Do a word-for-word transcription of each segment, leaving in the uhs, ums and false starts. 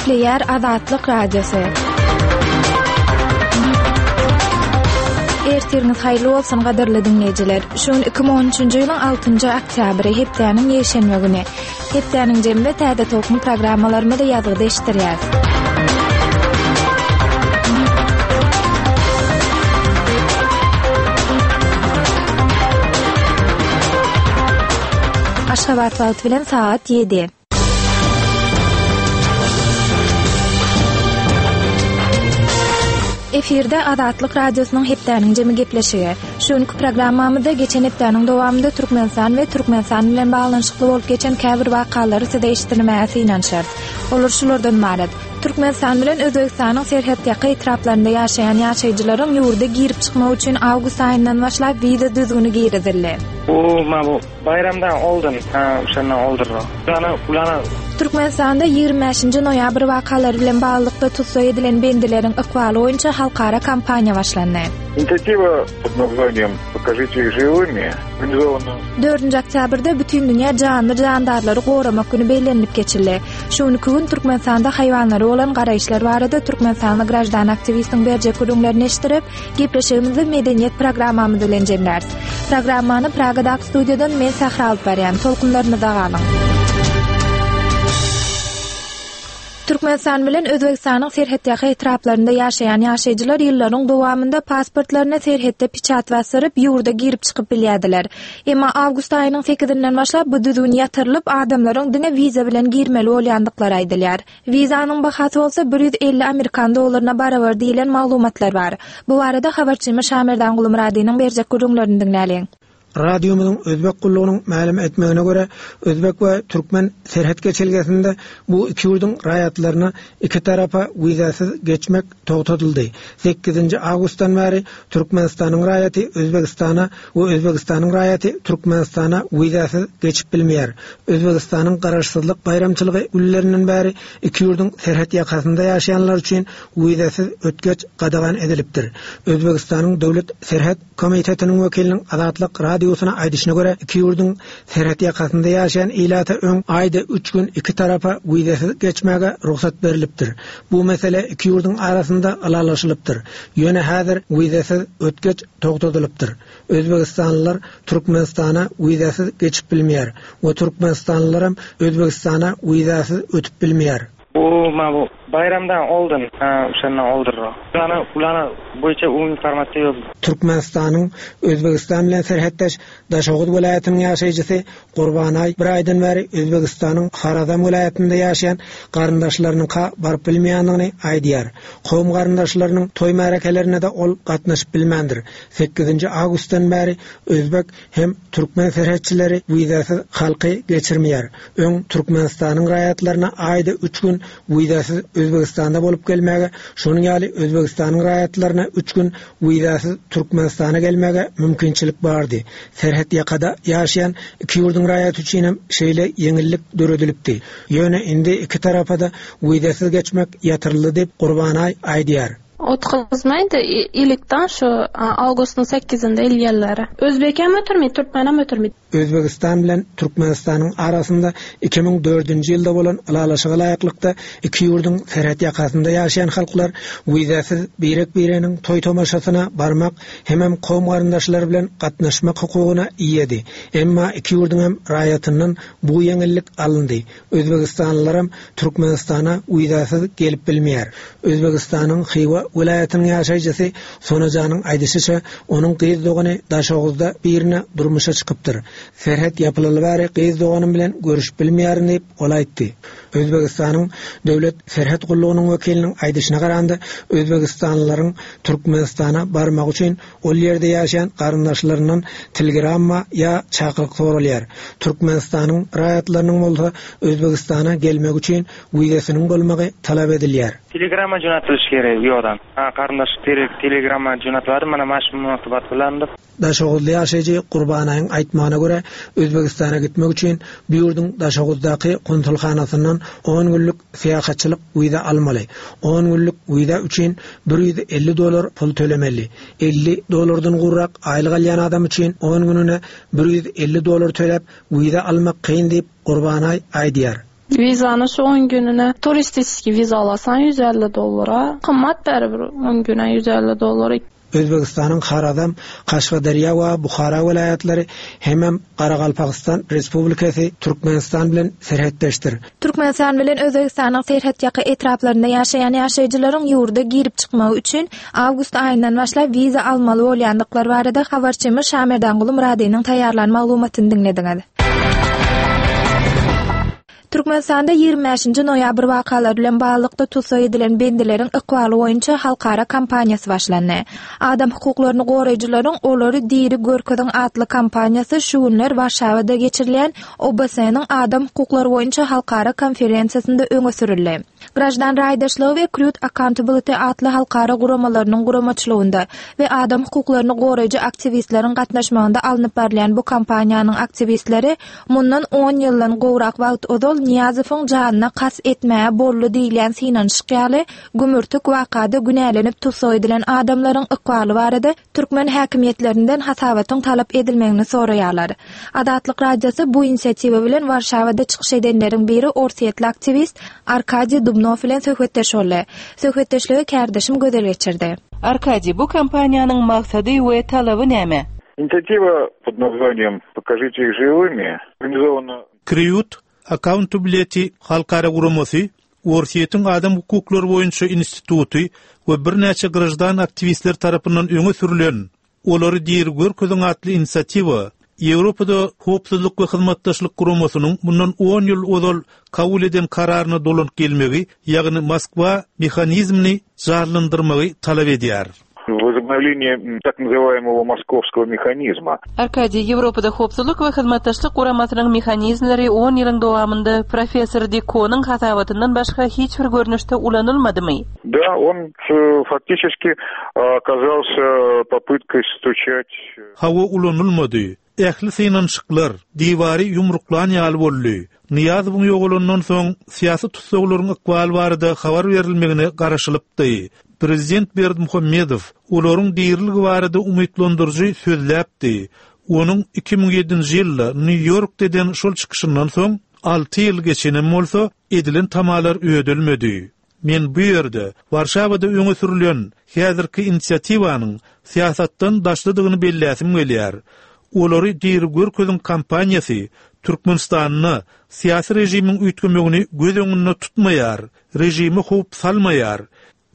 Gepleýär Azatlyk Radiosy. Ertiriňiz haýyrly bolsun gadyrly diňleýjiler. Şu gün iki müň on üçünji ýylyň altynjy oktýabry, hepdäniň ýekşenbe güni. Hepdäniň jeminde täze tolkun programmalarymyzy ýazgyda eşitdirýäris. Aşgabat wagty bilen sagat ýedi. Efirde Azatlyk Radiosynyň hepdäniň jemi gepleşigi. Şu günki programmamyzda geçen hepdäniň dowamynda Türkmenistan we Türkmenistan bilen baglanyşykly bolup geçen käbir wakalary size eşitdirmäge synanyşarys. Olar şulardan ybarat. Türkmenistan bilen Özbegistanyň serhetýaka etraplarynda ýaşaýan ýaşaýjylaryň ýurda girip çykmak üçin awgust aýyndan başlap wiza düzgüni girizildi. Bu ma bu baýramdan oldun, ha, şondan oldurdy. Ulana, ulana. Türkmenistanda ýigrimi bäşinji noýabr wakalary bilen baglylykda tussag edilen bendileriň ykbaly boýunça halkara kampaniýa başlandy. Инициатива под названием Покажите их живыми организована. Dördünji oktýabrda Bütindünýä janly jandarlary goramak güni bellenilip geçildi. Şu günki gün Türkmenistanda haýwanlara bolan garaýyşlar barada Türkmenistanly graždan aktiwistiň berjek gürrüňlerini eşitdirip, gepleşigimizi medeniýet programmamyz bilen jemläris. Programmany Pragadaky studiýadan men Sähra alyp barýan. Tolkunlarymyzda galyň. Türkmenistan bilen Özbegistanyň serhetýaka etraplarynda ýaşaýan ýaşaýjylar ýyllaryň dowamynda pasportlaryna serhetde piçat basyryp, ýurda girip çykyp bilýärdiler. Emma awgust aýynyň sekizinden başlap bu düzgün ýatyrylyp, adamlaryň diňe wiza bilen girmeli bolýandyklary aýdylýar. Wizanyň bahasy bolsa bir ýüz elli amerikan dollaryna barabar diýilen maglumatlar bar. Bu barada habarçymyz Şamerdan Gulumyradynyň berjek gürrüňlerini diňläliň. Radiomyzyň Özbek gullugynyň mälim etmegine görä, Özbek we Türkmen serhet geçelgesinde bu iki ýurduň raýatlaryna iki tarapa wizasyz geçmek togtadyldy. Sekizinji awgustdan bäri Türkmenistanyň raýaty Özbegistana we Özbegistanyň raýaty Türkmenistana wizasyz geçip bilmeýär. Özbegistanyň garaşsyzlyk baýramçylygy günlerinden bäri iki ýurduň serhet ýakasynda ýaşaýanlar üçin wizasyz ötgeç gadagan edilipdir. Özbegistanyň Döwlet Serhet Komitetiniň wekiliniň Azatlyk Radiosyna aýdyşyna görä, iki ýurduň serhet ýakasynda ýaşaýan ilata öň aýda üç gün iki tarapa wizasyz geçmäge rugsat berilipdir. Bu mesele iki ýurduň arasynda ylalaşylypdyr. Ýöne häzir wizasyz ötgeç togtadylypdyr. Özbegistanlylar Türkmenistana wizasyz geçip bilmeýär we Türkmenistanlylaram Özbegistana wizasyz ötüp bilmeýär. Bu ma bu baýramdan oldun, ha, şondan oldurdy. Ulana, ulana boýunça u informasiýa ýok. Türkmenistanyň Özbegistan bilen serhetdeş Daşoguz welaýatynyň ýaşaýjysy Gurbanaý bir aýdan bäri Özbegistanyň Harazam welaýatynda ýaşaýan garyndaşlarynyňka baryp bilmeýändigini aýdýar. Kowum garyndaşlarynyň toý märekelerine de ol gatnaşyp bilmändir. Sekizinji awgustdan bäri Özbek hem türkmen serhetçileri wizasyz halky geçirmeýär. Öň Türkmenistanyň raýatlaryna aýda üç gün wizasyz Özbegistanda bolup gelmäge, şonuň ýaly Özbegistanyň raýatlaryna üç gün wizasyz Türkmenistana gelmäge mümkinçilik bardy. Serhet ýakada ýaşaýan iki ýurduň raýaty üçin hem şeýle ýeňillik döredilipdi. Ýöne indi iki tarapa da wizasyz geçmek ýatyryldy diýip Gurbanaý aýdýar. Otgazmaýdy, ilikden şu awgustyň sekizinde ilýärler. Özbek hem ötürmedi, türkmen hem ötürmedi. Özbegistan bilen Türkmenistanyň arasynda iki müň dördünji ýylda bolan ylalaşyga laýyklykda iki ýurduň serhet ýakasynda ýaşaýan halklar wizasyz birek-bireniň toý tomaşasyna barmak hemem kowum garyndaşlary bilen gatnaşmak hukugyna eýedi. Emma iki ýurduň hem raýatyndan bu ýeňillik alyndy. Özbegistanlylaram Türkmenistana wizasyz gelip bilmeýär. Özbegistanyň Hywa welaýatynyň ýaşaýjysy Sonajanyň aýdyşyça, onuň gyz dogany Daşoguzda birine durmuşa çykypdyr. Serhet ýapylaly bäri gyz doganym bilen görüşüp bilmeýärin diýip ol aýtdy. Özbegistanyň Döwlet Serhet gullugynyň wekiliniň aýdyşyna garanda, Özbegistanlylaryň Türkmenistana barmak üçin ol ýerde ýaşaýan garyndaşlaryndan telegramma ýa çakylyk soralýar. Türkmenistanyň raýatlarynyň bolsa Özbegistana gelmek üçin wizasynyň bolmagy talap edilýär. Telegramma jo'natilish kerak u yoqdan. Ha, qarindosh telegramma jo'natiladi, mana mana shu munosabat bilan deb. Daşoguzly ýaşaýjy Gurbanaýyň aýtmagyna görä, Özbegistana gitmek üçin bu ýurduň Daşoguzdaky konsulhanasyndan on günlük syýahatçylyk wiza almaly. On günlük wiza üçin bir ýüz elli dollar pul tölemeli. Elli dollardan gurrak aýlyk alýan adam üçin on gününe bir ýüz elli dollar töläp wiza almak kyn diýip Gurbanaý aýdýar. Wizany şu on gününe turistik wiza alasan ýüz elli dollara. Gymmat barybir on güne ýüz elli dollar. Özbegistanyň Harazam, Kaşgaderýa we Buhara welaýatlary hemem Garagalpagystan Respublikasy Türkmenistan bilen serhetdeşdir. Türkmenistan bilen Özbegistanyň serhetýaka etraplarynda ýaşaýan ýaşaýjylaryň ýurda girip çykmagy üçin awgust aýyndan başlap wiza almaly bolýandyklary barada habarçymyz Şamerdanguly Myradynyň taýýarlan maglumatyny diňlediňiz. Türkmenistanda ýigrimi bäşinji noýabr wakalary bilen baglylykda tussag edilen bendileriň ykbaly boýunça halkara kampaniýasy başlandy. Adam hukuklaryny goraýjylaryň Olary diri görkeziň atly kampaniýasy şu günler Warşawada geçirilýän O B S-niň adam hukuklary boýunça halkara konferensiýasynda öňe sürüldi. Graždan raýdaşlygy we Crew Accountability atly halkara guramalarynyň guramaçylygynda we adam hukuklaryny goraýjy aktiwistleriň gatnaşmagynda alnyp barylýan bu kampaniýanyň aktiwistleri mundan on ýyldan gowrak wagt ozal Niýazowyň janyna kas etmäge boldy diýilýän synanyşyk ýaly gümürtik wakada günälenip tussag edilen adamlaryň ykbaly barada türkmen häkimiýetlerinden hasabatyň talap edilmegini soraýarlar. Azatlyk Radiosy bu inisiatiwa bilen Warşawada çykyş edenleriň biri orsýetli aktiwist Arkadiý Dubnow bilen söhbetdeş boldy. Söhbetdeşligi kärdeşim Gözel geçirdi. Arkadiý, bu kampaniýanyň maksady we talaby näme? Инициатива под названием «Покажите их живыми» организована Crew Accountability halkara guramasy, Orsýetiň adam hukuklary boýunça instituty we birnäçe graždan aktiwistler tarapyndan öňe sürülen Olary diri görkeziň atly inisiatiwa Ýewropada howpsuzlyk we hyzmatdaşlyk guramasynyň mundan on ýyl ozal kabul eden kararyna dolanyp gelmegi, ýagny Moskwa mehanizmini janlandyrmagy talap edýär. Возобновление так называемого московского механизма. Arkadiý, Ýewropada howpsuzlyk we hyzmatdaşlyk guramasynyň mehanizmleri on ýylyň dowamynda professor Dikonyň hasabatyndan başga hiç bir görnüşde ulanylmadymy? Да, он, э, фактически оказался попыткой стучать. Hawa ulanylmady. Ähli synanyşyklar diwary ýumruklan ýaly boldy. Niýazowyň ýogalandan soň syýasy tussaglaryň ykbaly barada habar berilmegine garaşylypdy. Prezident Berdimuhamedow olaryň diriligi barada umytlandyryjy sözläpdi. Onuň iki müň ýedinji ýylda Nýu-Ýorkda eden şol çykyşyndan soň alty ýyl geçenem bolsa edilen tamalar ödelmedi. Men bu ýerde Warşawada öňe sürülen häzirki inisiatiwanyň syýasatdan daşlydygyny belläsim gelýär. Olary diri görkeziň kampaniýasy Türkmenistanda syýasy režimiň üýtgemegini göz öňünde tutmaýar, režimi howp salmaýar.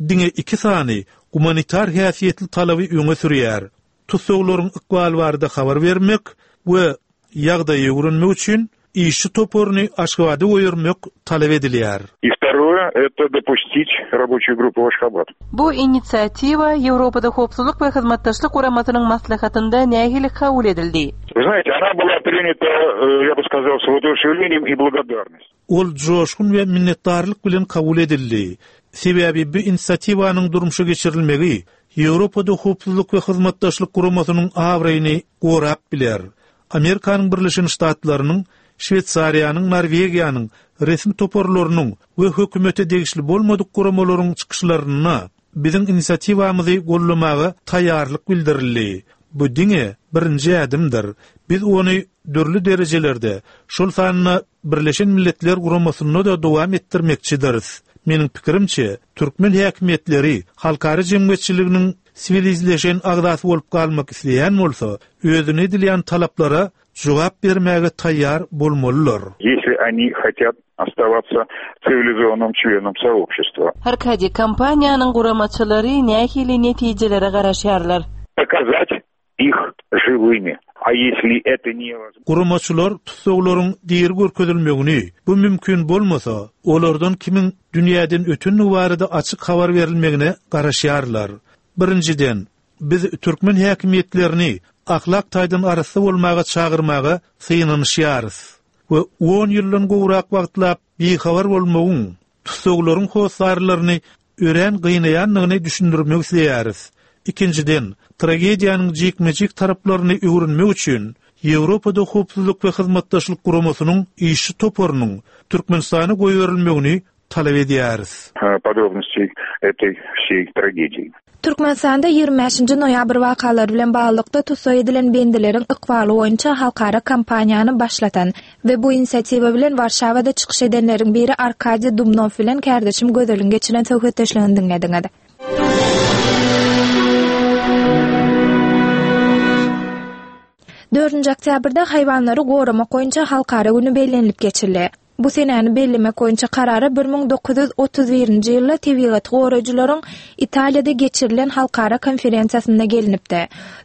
Diňe iki sany gumanitar häsiýetli talaby öňe sürýär. Tussaglaryň ykbaly barada habar bermek we ýagdaýy öwrenmek üçin işçi toparyny Aşgabada goýurmak talap edilýär. И второе это допустить рабочую группу в Ашхабад. Bu inisiatiwa Ýewropada howpsuzlyk we hyzmatdaşlyk guramasynyň maslahatynda nähili kabul edildi? Вы знаете, она была принята, э, я бы сказал, с воодушевлением и благодарностью. Ol joşgun we minnetdarlyk bilen kabul edildi. Sebäbi bu inisiatiwanyň durmuşa geçirilmegi Ýewropada howpsuzlyk we hyzmatdaşlyk guramasynyň abraýyny gorap biler. Amerikanyň Birleşen Ştatlarynyň, Şweýsariýanyň, Norwegiýanyň resmi toparlarynyň we hökümete degişli bolmadyk guramalaryň çykyşlaryna biziň inisiatiwamyzy gollamaga taýýarlyk bildirildi. Bu diňe birinji ädimdir. Biz ony dürli derejelerde, şol sanda Birleşen Milletler Guramasynda da dowam etdirmekçidiris. Meniň pikirimçe, türkmen häkimiýetleri halkara jemgyýetçiliginiň siwilizleşen agzasy bolup galmak isleýän bolsa, özüne edilýän talaplara jogap bermäge taýýar bolmalylar. Если они хотят оставаться цивилизованным членом сообщества. Arkadiý, kompaniýanyň guramaçylary nähili netijelere garaşýarlar? Показать их живыми. А если это невозможно? Guramaçylar tussaglaryň diri görkezilmegini, bu mümkin bolmasa, olardan kimiň dünýäden ötünligi barada açyk habar berilmegine garaşýarlar. Birinjiden, biz türkmen häkimiýetlerini ahlak taýdan arassa bolmaga çagyrmaga synanyşýarys we on ýyldan gowrak wagtlap bihabar bolmagyň, tussaglaryň hossarlaryny örän gynaýandygyny düşündirmek isleýäris. Ikinjiden, tragediýanyň jikme-jik taraplaryny öwrenmek üçin Ýewropada howpsuzlyk we hyzmatdaşlyk guramasynyň işçi toparynyň Türkmenistana goýberilmegini talap edýäris. Подробностей этой всей трагедии. Türkmenistanda ýigrimi bäşinji noýabr wakalary bilen baglylykda tussag edilen bendileriň ykbaly boýunça halkara kampaniýany başlatan we bu inisiatiwa bilen Warşawada çykyş edenleriň biri Arkadiý Dubnow bilen kärdeşim Gözeliň geçiren söhbetdeşligini diňlediňiz. Dördünji oktýabrda haýwanlary goramak boýunça halkara güni bellenilip geçildi. Bu senäni bellemek boýunça karara bir müň dokuz ýüz otuz birinji ýylda tebigaty goraýjylaryň Italiýada geçirilen halkara konferensiýasynda gelinipdi.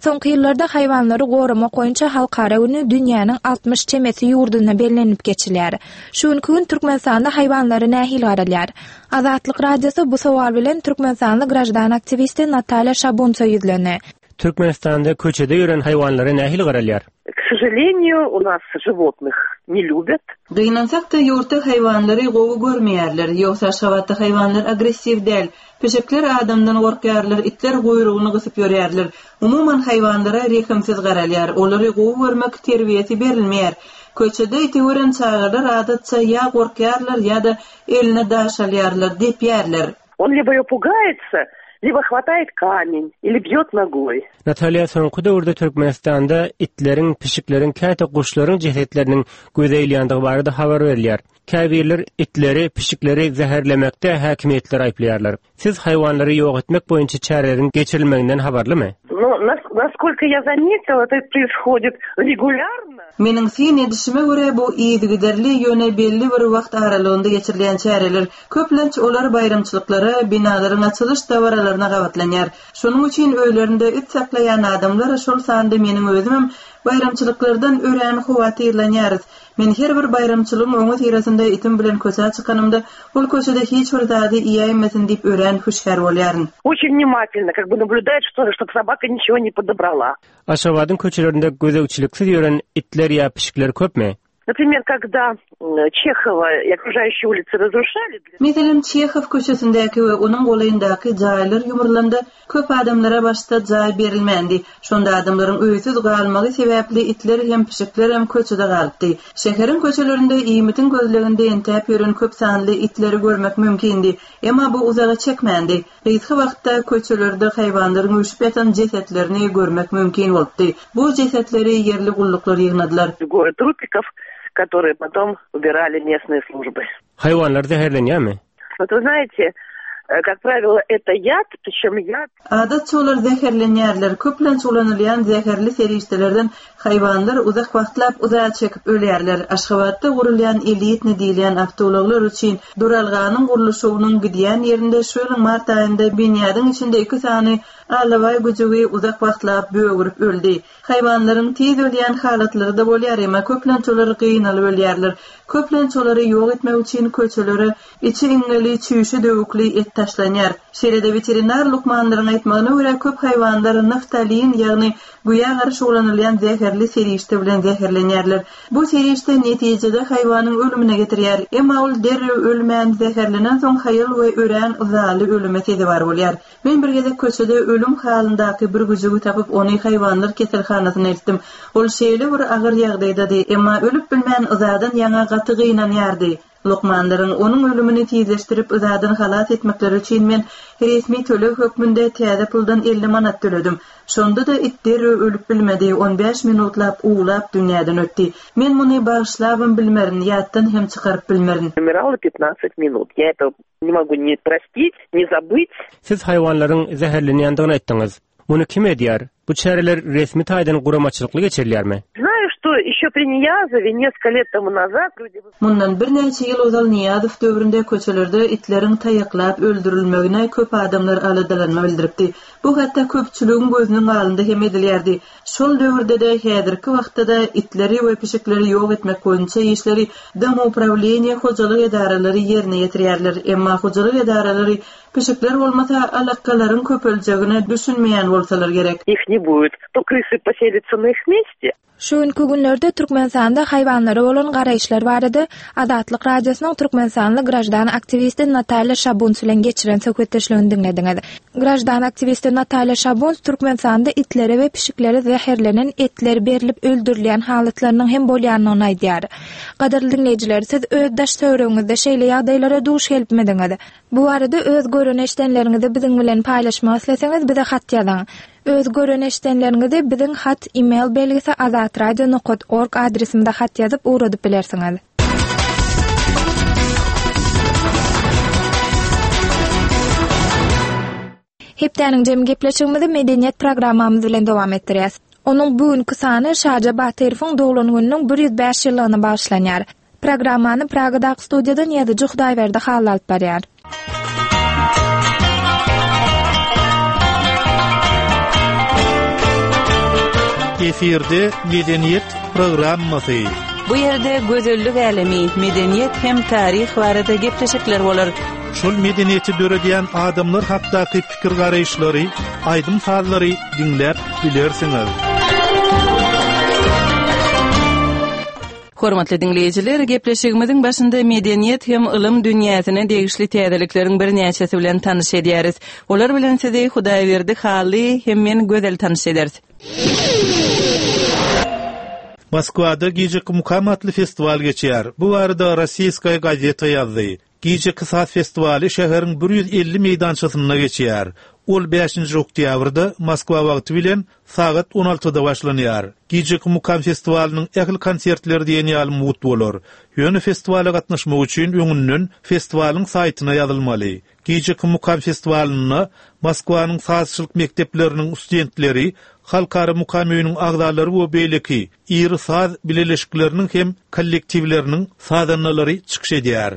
Soňky ýyllarda haýwanlary goramak boýunça halkara güni dünýäniň altmyş çemesi ýurdunda bellenilip geçilýär. Şu günki gün Türkmenistanda haýwanlara nähili garalýar? Azatlyk Radiosy bu sowal bilen türkmenistanly graždan aktiwisti Natalýa Şabunsa ýüzlendi. Türkmenistanda köçede ýören haýwanlara nähili garalýar? K сожалению, у нас животных не любят. Gynansak-da ýurtda haýwanlary gowy görmeýärler. Ýogsa Aşgabatda haýwanlar agressiw däl. Pişikler adamdan gorkýarlar, itler guýrugyny gysyp ýörýärler. Umuman haýwanlara rehimsiz garalýar. Olary gowy görmek terbiýesi berilmeýär. Köçede iti gören çagalar adatça ýa gorkýarlar ýa-da eline daş alýarlar, depýärler. Он либо ее пугается, либо хватает камень или бьет ногой. Natalýa, soňky döwürde Türkmenistanda itleriň, pişikleriň, käte guşlaryň jesetleriniň göze ilýändigi barada habar berilýär. Käbirler itleri, pişikleri zäherlemekde häkimiýetler aýyplaýarlar. Siz haýwanlary ýok etmek boýunça çäreleriň geçirilmeginden habarlymy? Ну, нас-, насколько я заметила, это происходит регулярно. Meniň syn edişime görä bu yzygiderli ýöne belli bir wagt aralygynda geçirilýän çäreler. Köplenç olar baýramçylyklara, binalaryň açylyş dabaralaryna gabatlanýar. Şonuň üçin öýlerinde it saklaýan adamlar, şol sanda meniň özümem baýramçylyklardan örän howatyrlanýarys. Men her bir baýramçylygyň oňa syrasynda itim bilen köçä çykanymda, ol köçede hiç bir zady iýäýmesin diýip örän hüşgär bolýaryn. Очень внимательно, как бы наблюдает, что, чтоб собака ничего не подобрала. Aşgabadyň köçelerinde gözegçiliksiz ýören itler ýa pişikler köpmi? Например, когда, м, Чехова и окружающие улицы разрушали, для Meselem, Çehow köçesindäki we onuň golaýyndaky jaýlar ýumrulanda köp adamlara başda jaý berilmändi. Şonda adamlaryň öýsüz galmagy sebäpli itler hem pişikler hem köçede galypdy. Şäheriň köçelerinde iýmitiň gözleginde entäp ýören köp sanly itleri görmek mümkindi. Emma bu uzaga çekmändi. Gysga wagtda köçelerde haýwanlaryň üýşüp ýatan jesetlerini görmek mümkin bolupdy. Bu jesetleri ýerli gulluklar ýygnadylar. Горы трупиков, которые потом убирали местные службы. Haýwanlar zäherlenýärmi? Вот вы знаете, э, как правило, это яд, причем яд. Adatça olar zäherlenýärler. Köplenç ulanylýan zäherli serişdelerden haýwanlar uzak wagtlap uzağa çekip ölýärler. Aşgabatda gurulýan elitni diýilýän awtoulaglar üçin duralganyň gurluşygynyň gidýän ýerinde şu ýylyň mart aýynda binýadyň içinde iki sany alabaý güjügi uzak wagtlap bögürip öldi. Haýwanlaryň tiz ölýän halatlary da bolýar, emma köplenç olar gynalyp ölýärler. Köplenç olary ýok etmek üçin köçelere içi iňňeli, çüýşe döwükli et taşlanýar. Şeýle-de weterinar lukmanlaryň aýtmagyna görä köp haýwanlar naftalin, ýagny güýä garşy ulanylýan zäherli serişde bilen zäherlenýärler. Bu serişde netijede haýwanyň ölümine getirýär. Emma ol derrew ölmän zäherlenen soň haýal we örän yzaly ölüme sezewar bolýar. Men bir gezek köçede ölüm halyndaky bir güjügi tapyp ony haýwanlar keselhanasyna eltdim. Ol şeýle bir agyr ýagdaýdady, emma ölüp bilmän yzadan ýaňa gaty gynanýardy. Lukmanlaryň onuň ölümini tizleşdirip yzadan halas etmekleri üçin men resmi töleg hökmünde täze puldan elli manat töledim. Şonda da it derrew ölüp bilmedi, on bäş minutlap uwlap dünýäden ötdi. Men muny bagyşlabam bilmerin, ýatdan hem çykaryp bilmerin. Умирала пятнадцать минут. Я это не могу ни простить, ни забыть. Siz haýwanlaryň zäherlenýändigini aýtdyňyz. Muny kim edýär? Bu çäreler resmi taýdan guramaçylykly geçirilýärmi? Знаю, что еще при Ниязове несколько лет тому назад люди Mundan birnäçe ýyl ozal Niýazow döwründe köçelerde itleriň taýaklap öldürilmegine köp adamlar aladalanma bildiripdi. Bu hatda köpçüligiň gözüniň alnynda hem edilýärdi. Şol döwürde de häzirki wagtda da itleri we pişikleri ýok etmek boýunça işleri Domoupravleniýe hojalyk edaralary ýerine ýetirýärler. Emma hojalyk edaralary pişikler bolmasa alakalaryň köpeljegine düşünmeýän bolsalar gerek. Их не будет, то крысы поселятся на их месте. Şu günkü günlerde Türkmenistanda haýwanlara bolan garaýyşlar barada Azatlyk Radiosynyň Türkmenistanly graždan aktiwisti Natalýa Şabuns bilen geçiren söhbetdeşligini diňlediňiz. Graždan aktiwisti Natalýa Şabuns Türkmenistanda itlere we pişiklere zäherlenen etler berilip öldürilýän halatlarynyň hem bolýanyny aýdýar. Gadyrly diňleýjiler, siz öz daş töweregiňizde şeýle ýagdaýlara duş gelipmidiňiz? Bu barada öz görüş gören eşdenleriňizi biziň bilen paýlaşmak isleseňiz bize hat ýazyň. Öz gören eşdenleriňizi biziň hat e-mail belgisi azatradio nokta org adresimize hat ýazyp ugradyp bilersiňiz. Hepdäniň jem gepleşigimizi medeniýet programmamyz bilen dowam etdirýäs. Onuň bugünkü sany Şaja Batyrowyň doglan gününiň bir ýüz bäş ýyllygyna bagyşlanýar. Programmany Pragadaky studiýadan ýazyjy Hudaýberdi Hally alyp barýar. Efirde medeniýet programmasy. Bu ýerde gözellik älemi, medeniýet hem taryh barada gepleşikler bolar. Şol medeniýeti döredýän adamlar hakdaky pikir garaýyşlary, aýdym sazlary diňläp bilersiňiz. Hormatly dinleýjiler, gepleşigimiziň başynda medeniýet hem ylym dünýäsine degişli täzelikleriň birnäçesi bilen tanyş edýäris. Olar bilen sizi Hudaýberdi Hally hem men Gözel tanyş ederis. Moskwada gijeki mukam atly festiwal geçýär. Bu barada Rossiýskaya gazeta ýazdy. Gijeki saz festiwaly şäheriň bir ýüz elli meýdançasynda geçýär. Ol bäşinji oktýabrda Moskwa wagty bilen sagat on altyda başlanýar. Gijeki mukam festiwalynyň ähli konsertleri diýen ýaly mugt bolar. Ýöne festiwala gatnaşmak üçin öňünden festiwalyň saýtyna ýazylmaly. Gijeki mukam festiwalynda Moskwanyň sazçylyk mekdepleriniň studentleri, halkara mukam öýüniň agzalary we beýleki iri saz bileleşikleriniň hem kollektiwleriniň sazandalary çykyş edýär.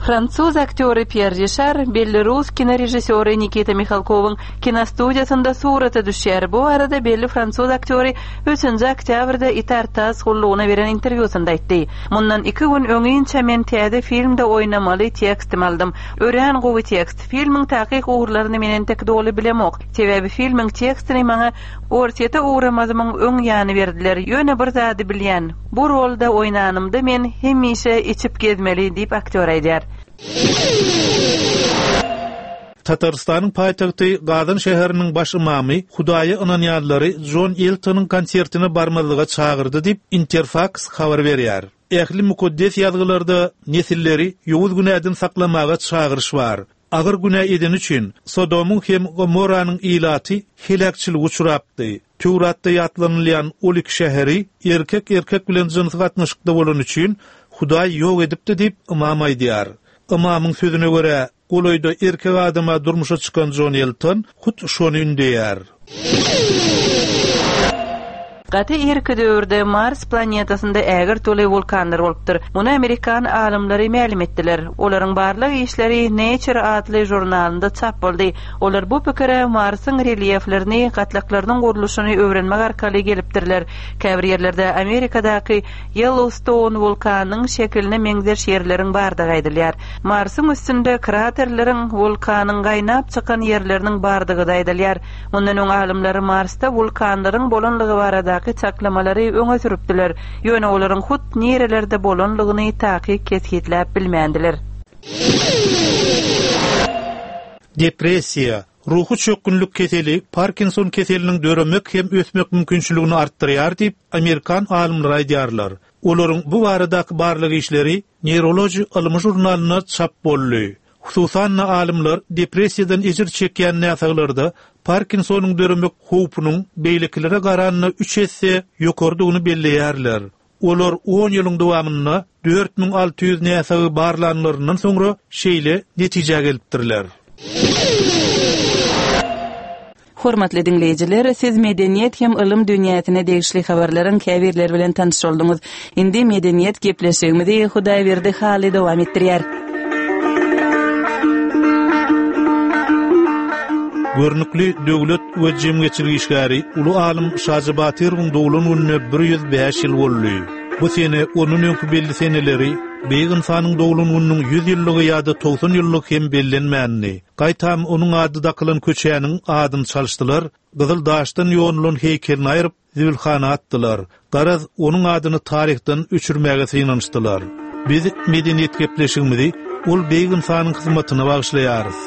Fransuz aktýory Pierre Richard, belli rus kinorežissýory Nikita Mikhalkov'un kinostudiýasynda surata düşýär. Bu arada belli fransuz aktýory üçünji oktýabrda Itar-Tass gullugyna beren interwýusynda aýtdy. Mundan iki gün öňinçe men täze filmde oýnamaly tekstim aldym. Örän gowy tekst. Filmiň takyk ugurlaryny men entek doly bilemok. Sebäbi filmiň tekstini maňa Orsýete ugramazymyň öň ýany berdiler. Ýöne bir zady bilýän. Bu rolda oýnanymda men hemişe içip gezmeli diýip aktýor aýdýar. Tatarystanyň paýtagty Gazan şäheriniň baş imamy Hudaýa ynanýanlary John Eltonyň konsertine barmazlyga çagyrdy diýip Interfax habar berýär. Ähli mukaddes ýazgylarda nesilleri ýowuz günäden saklamaga çagyryş bar. Agyr günä eden üçin Sodomyň hem Gomorranyň ilaty heläkçilige uçrapdy. Töwratda ýatlanylýan ol iki şäheri erkek erkek bilen jynsy gatnaşykda bolan üçin Hudaý ýok edipdi diýip imam aýdýar. Imamyň sözüne görä golaýda erkek adama durmuşa çykan John Elton hut şony ündeýär. Gaty irki döwürde Mars planetasynda ägir toly wulkanlar bolupdyr. Muny Amerikan alymlary mälim etdiler. Olaryň barlyk işleri Nature atly jurnalynda çap boldy. Olar bu pikire Marsyň relýeflerini, gatlaklarynyň gurluşyny öwrenmek arkaly gelipdirler. Käbir ýerlerde Amerikadaky Yellowstone wulkanynyň şekiline meňzeş ýerleriň bardygy aýdylýar. Marsyň üstünde kraterleriň, wulkanyň gaýnap çykan ýerleriniň bardygy da aýdylýar. Mundan öň alymlar Marsda wulkanlaryň bolanlygy barada çaklamalary öňe sürüpdiler. Ýöne olaryň hut nerelerde bolanlygyny takyk kesgitläp bilmändiler. Depressiýa, ruhy çökgünlik keseli Parkinson keseliniň döremek hem ösmek mümkinçiligini artdyrýar diýip Amerikan alymlary aýdýarlar. Olaryň bu baradaky barlyk işleri Neurology ylmy jurnalynda çap boldy. Hususan alymlar depressiýadan ejir çekýän näsaglarda Parkinsonyň döremek howpunyň beýlekilere garanda üç esse ýokardygyny belleýärler. Olar on ýylyň dowamynda dört müň alty ýüz näsagy barlanlaryndan soňra şeýle netijä gelipdirler. Hormatly dinleýjiler, siz medeniýet hem ylym dünýäsine degişli habarlaryň käbirleri bilen tanyş bolduňyz. Indi medeniýet gepleşigimizi Hudaýberdi Hally dowam etdirýär. Görnükli döwlet we jemgyýetçilik işgäri Ulu alym Şaja Batyrowyň doglan gününe bir ýüz bäş ýyl boldy. Bu sene onun öňkü belli seneleri beýik insanyň doglan gününiň ýüz ýyllygy ýa-da togsan ýyllygy hem bellenmändi. Gaýtam onuň ady dakylan köçäniň adyny çalyşdylar, gyzyl daşdan ýonulan heýkelini aýryp zibilhana atdylar. Garaz onuň adyny taryhdan öçürmäge synanyşdylar. Biz medeniýet gepleşigimizi ol beýik insanyň hyzmatyna bagyşlaýarys.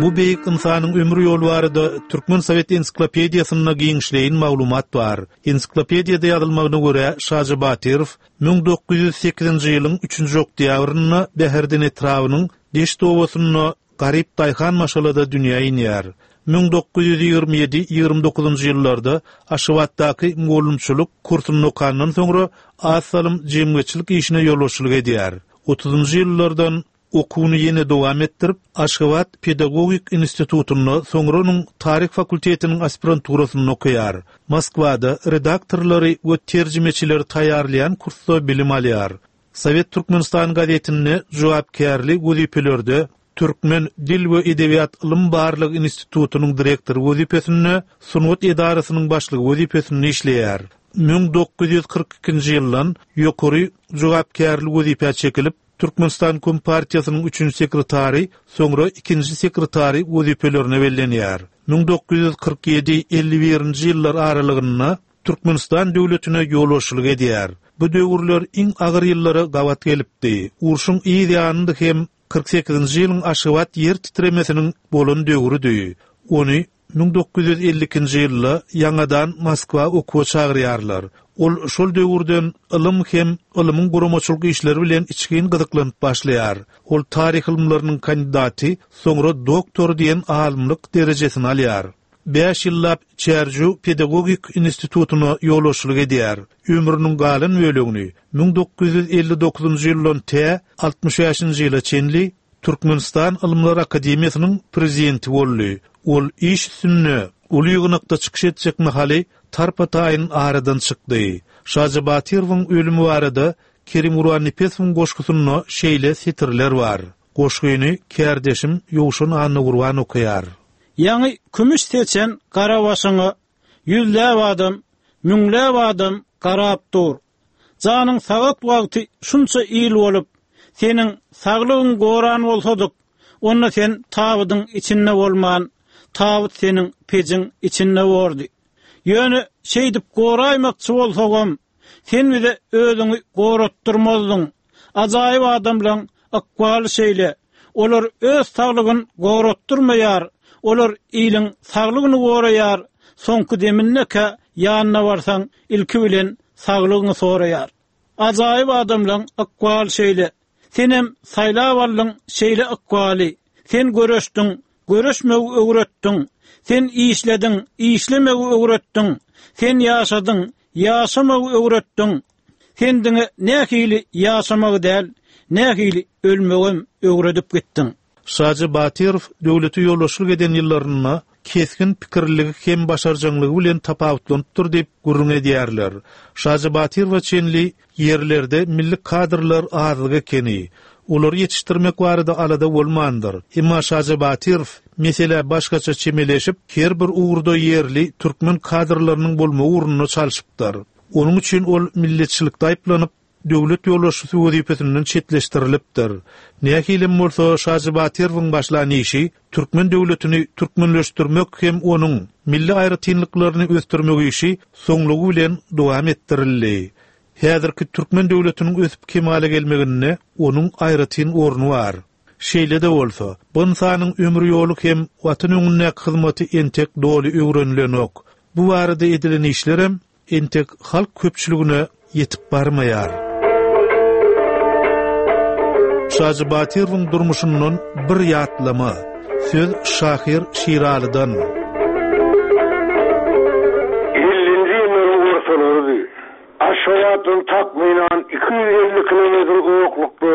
Bu beýik ynsanyň ömür ýoly barada Türkmen Sowet ensiklopediýasynda giňişleýin maglumat bar. Ensiklopediýada ýazylmagyna görä Şaja Batyrow müň dokuz ýüz sekizinji ýylyň üçünji oktýabrynda Bäherden etrabynyň Deşt obasynda garyp daýhan maşgalada dünýä inýär. Müň dokuz ýüz ýigrimi ýedi ýigrimi dokuzynjy ýyllarda Aşgabatdaky mugallymçylyk kursuny okandan soňra az salym jemgyýetçilik işine ýolbaşçylyk edýär. Otuzynjy ýyllardan okuwyny ýene dowam etdirip, Aşgabat Pedagogik institutynda soňra onuň taryh fakultetiniň aspiranturasynda okaýar. Moskwada redaktorlary we terjimeçileri taýýarlaýan kursda bilim alýar. Sowet Türkmenistan gazetinde jogapkärli wezipelerde Türkmen Dil we Edebiýat Ylym Barlyk Institutynyň direktory wezipesinde, sungat edarasynyň başlygy wezipesinde işleýär. Müň dokuz ýüz kyrk ikinji ýyldan ýokary jogapkärli wezipä çekilip, Türkmenistan Kompartiýasynyň üçünji sekretary, soňra ikinji sekretary wezipelerine bellenýär. Müň dokuz ýüz kyrk ýedi elli birinji ýyllar aralygynda Türkmenistan döwletine ýolbaşçylyk edýär. Bu döwürler iň agyr ýyllara gabat gelipdi. Urşuň yz ýanynda hem kyrk sekizinji ýylyň Aşgabat ýer titremesiniň bolan döwrüdi. Ony müň dokuz ýüz elli ikinji ýylda ýaňadan Moskwa okuwa çagyrýarlar. Ol şol döwürden ylym hem ylymyň guramaçylyk işleri bilen içgin gyzyklanyp başlaýar. Ol taryh ylymlarynyň kandidaty, soňra doktor diýen alymlyk derejesini alýar. Bäş ýyllap Çärjew Pedagogik institutyna ýolbaşçylyk edýär. Ömrüniň galan bölegini müň dokuz ýüz elli dokuzynjy ýyldan tä altmyş bäşinji ýyla çenli Türkmenistan Ylymlar Akademiýasynyň prezidenti boldy. Ol iş üstünde uly ýygnakda çykyş etjek mahaly tarpa-taýyn aradan çykdy. Şaja Batyrowyň ölümi barada Kerim Gurbannepesowyň goşgusynda şeýle setirler bar. Goşgyny kärdeşim Ýowşan Annagurban okaýar. Ýaňy kümüş seçen garabaşyňa ýüzläp adam, müňläp adam garap dur. Janyň sagat wagty şunça ýyl bolup, seniň saglygyň goran bolsadyk, onda sen tabydyň içinde bolman, tabyt seniň pejiň içinde bordy. Ýöne şeýdip goraýmakçy bolsagam, sen bize özüňi goratdyrmazdyň. Ajaýyp adamlaň ykbaly şeýle. Olar öz saglygyny goratdyrmaýar, olar iliň saglygyny goraýar. Soňky demindeke ýanyna barsaň, ilki bilen saglygyny soraýar. Ajaýyp adamlaň ykbaly şeýle. Senem saýlap aldyň şeýle ykbaly. Sen göreşdiň, göreşmegi öwretdiň. Sen işlediň, işlemegi öwretdiň. Sen ýaşadyň, ýaşamagy öwretdiň. Sen diňe nähili ýaşamagy däl, nähili ölmegem öwredip gitdiň. Şaja Batyrow döwleti ýolbaşçylyk eden ýyllarynda kesgin pikirligi hem başarjaňlygy bilen tapawutlanypdyr diýip gürrüň edýärler. Şaja Batyrowa çenli ýerlerde milli kadrlar azlyk ekeni. Olary ýetişdirmek barada alada bolmandyr. Emma Şaja Batyrow mesele başgaça çemeleşip, her bir ugurda ýerli türkmen kadrlarynyň bolmagy ugrunda çalşypdyr. Onuň üçin ol milletçilikde aýyplanyp, döwlet ýolbaşçysy wezipesinden çetleşdirilipdir. Nähilem bolsa Şaja Batyrowyň başlan işi türkmen döwletini türkmenleşdirmek hem onuň milli aýratynlyklaryny ösdürmek işi soňlugy bilen dowam etdirildi. Häzirki türkmen döwletiniň ösüp kemala gelmeginde onuň aýratyn orny bar. Şeýle-de bolsa, bu ynsanyň ömür ýoly hem watan öňündäki hyzmaty entek doly öwrenilenok. Bu barada edilen işlerem entek halk köpçüligine ýetip barmaýar. Şaja Batyrowyň durmuşyndan bir ýatlama. Söz şahyr Şiralydan. Ellinji ýyllaryň ortalarydy. Aşgabatdan takmynan iki ýüz elli kilometr uzaklykda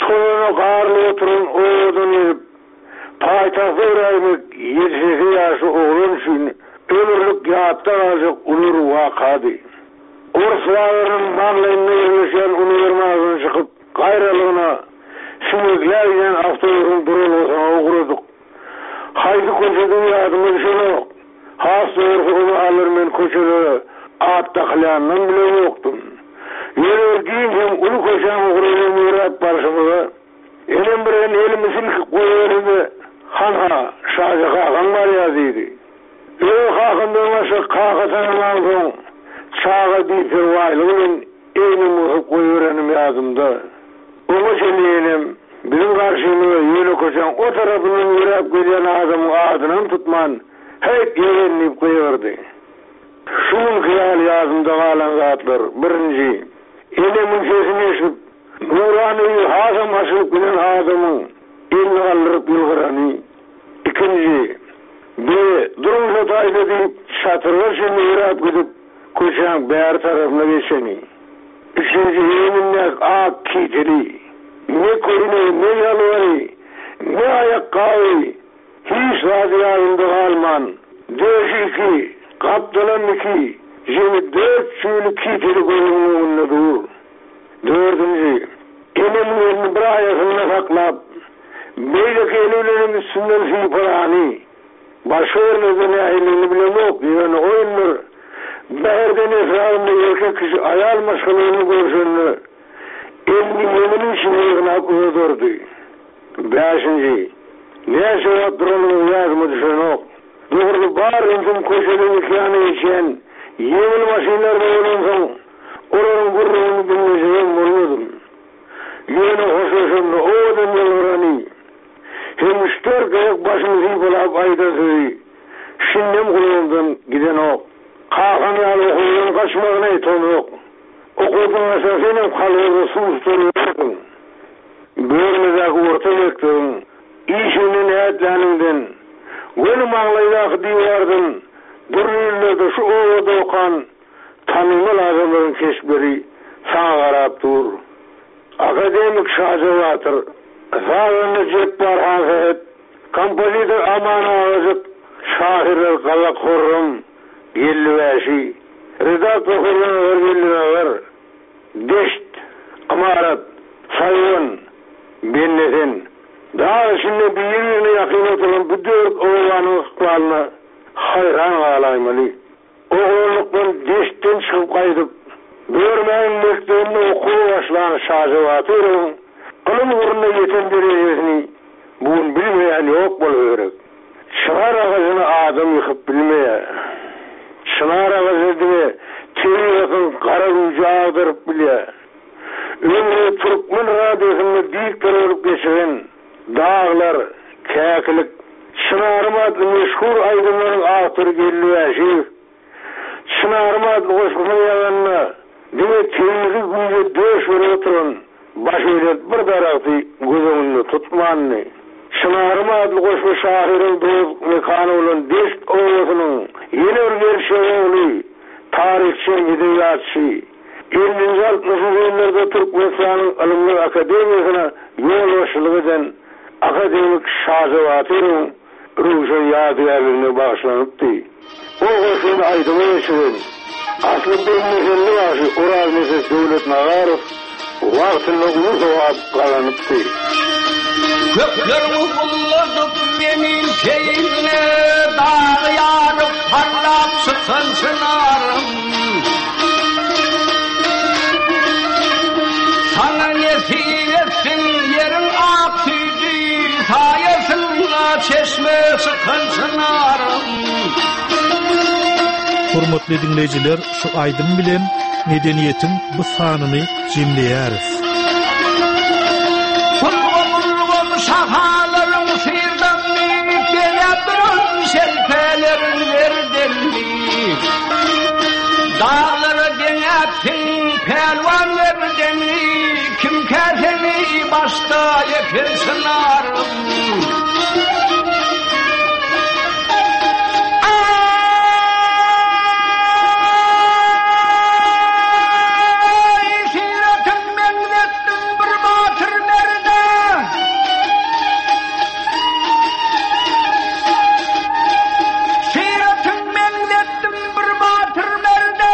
tozana garly oturan owadan gelip, paýtagta öwräýmek ýedi sekiz ýaşly oglan üçin ömürlik ýatda galjak uly wakady. Ors bazarynyň maňlaýynda ýerleşýän uniwermagdan çykyp, gaýralygyna siňekläp giden awtobusyň duralgasyna ugradyk. Haýsy köçede ýadyma düşenok. Has dogrusu ony alır men köçelere at dakylýandan bile ýokdum. Ýöne bir giň hem uly köçäň ugry bilen ýöräp barşymyza, enem bir en elimi silkip goýberdi-de, Han-ha, Şaja kakaň barýar diýdi. Öz kakamdan başga kaka tanaman soň, çaga biperwaýlyk bilen egnimi gysyp goýberenim ýadymda. Oňa çenli enem Biziň garşymyza ýöne köçäň o tarapyndan ýöräp gelýän adamyň adynam tutman, Häýt, ýegen! diýip gygyrdy. Şu günki ýaly ýadymda galan zatlar, birinji, enemiň sesini eşidip, nurana ýüzi hasam açylyp giden adamyň elini galdyryp ýylgyrany, ikinji, Be, duruň şo taýda diýip, çatyrga çenli ýöräp gidip, köçäň bäri tarapyna geçeni, üçünji, egnindäki ak kiteli, ne köýnegi, ne jalbary, ne aýakgaby, Hiç zady ýadynda galman, döşi iki, gapdalam iki, jemi dört jübüli kiteli gözümiň öňünde dur. Dördünji, enemiň elini bir aýasynda saklap, beýleki eli bilenem üstünden sypalany. Başga ýerlerde nähililigini bilemok, ýöne o ýyllar Bäherden etrabynda erkek kişi aýal maşgala bilen görşende, elini ýeňiniň içine ýygnap uzadardy. Bäşinji, näçe wagt duranymyz ýadyma düşenok. Dogrusy bar ünsüm köçeden iki ýana geçýän ýeňil maşynlarda bolansoň, olaryň gürrüňini diňlejegem bolmadym. Ýöne hoşlaşanda owadan ýylgyrany hem üç-dört gezek başyny sypalap aýdan sözi şindem gulagymdan gidenok, Kakam ýaly okuwdan gaçmagyna etomok. Okuwdan gaçsaň senem kolhozda suw tutar ýörersiň. Börmedäki orta mekdebiň işiginden ätläniňden, göni maňlaýdaky diwardan dürli ýyllarda şu obada okan tanymal adamlaryň keşpleri saňa garap dur. Akademik Şaja batyr, sazanda Jepbar Hansähet, kompozitor Aman Agajyk, şahyrlar Gazak Horram, Geldi Wäşi, redaktor Hurranazar Geldinazar, Deşt, Ymarat, Saýwan, Bendesen. Dag içinde biri-birine ýakyn oturan bu dört obanyň ykbalyna haýran galaýmaly. Oglanlykdan deştden çykyp gaýdyp, Börmäniň mekdebinde okuwa başlan Şaja Batyrowyň ylym ugrunda ýeten derejesini bu gün bilmeýän ýok bolsa gerek. Çynar agajyny adam ýykyp bilmeýär. Çynar agajyny diňe tebigatyň gara güýji agdaryp bilýär. Ömrüni türkmen radiosynda diktor bolup geçiren Daglar, Käkilik, Çynarym atly meşhur aýdymlaryň awtory Geldi Wäşiýew Çynarym atly goşgusyny ýazanda diňe tebigy güýje döş berip oturan başbelent bir daragty göz öňünde tutmandy. Çynarym atly goşgy şahyryň dogduk mekany bolan Deşt obasynyň ýene bir gerçek ogly, taryhçy hem edebiýatçy, ellinji-altmyşynjy ýyllarda Türkmenistanyň Ylymlar akademiýasyna ýolbaşçylyk eden akademik Şaja Batyrowyň röwşen ýadygärligine bagyşlanypdy. Ol goşgyny aýdyma geçiren, asly Bellnesenli bagşy Oraznepes Döwletnazarow wagtynda uly sogap gazanypdy. Kökleriňi ulladyp menin teýinde, Dagy ýaryp parlap çykan çynarym. Saňa nesip etsin ýeriň ak süýdi, Saýasynda çeşme çykan çynarym. Hormatly diňleýjiler, şu aýdym bilen Medeniýetiň bu sanyny jemleýäris. Ulgam-ulgam şahalaryň syrdamly, Bezäp duran şelpeleriň zerdenli. Daglara deňäpsiň pälwan merdeni, Kimkä seni başda eken çynarym. Aý, syratyň meňzetdim bir batyr merde. Syratyň meňzetdim bir batyr merde,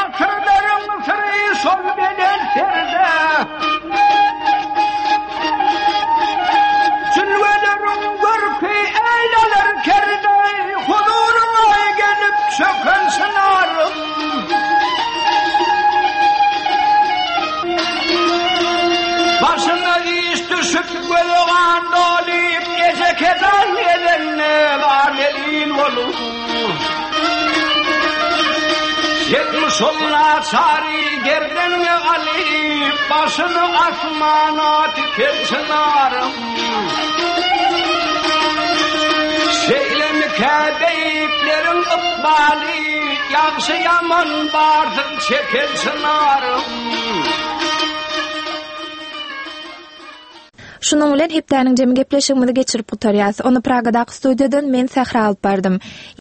Asyrlaryň syry şol belent serde. Jülgeleriň görki eýleler kerde, Huzuryňa gelip çöken çynarym. Başyna iş düşüp göze gan dolyp, Eje-kejan gelende bar delil bolup. Sen şol naçary gerdeniňe alyp, başyny asmana tiken çynarym. Şeýlemikä beýikleriň ykbaly, ýagşy ýaman barsyn çeken çynarym. Şunuň bilen hepdäniň jemi gepleşigimizi geçirip gutarýas. Ony Pragadaky studiýadan men Sähra alyp bardym.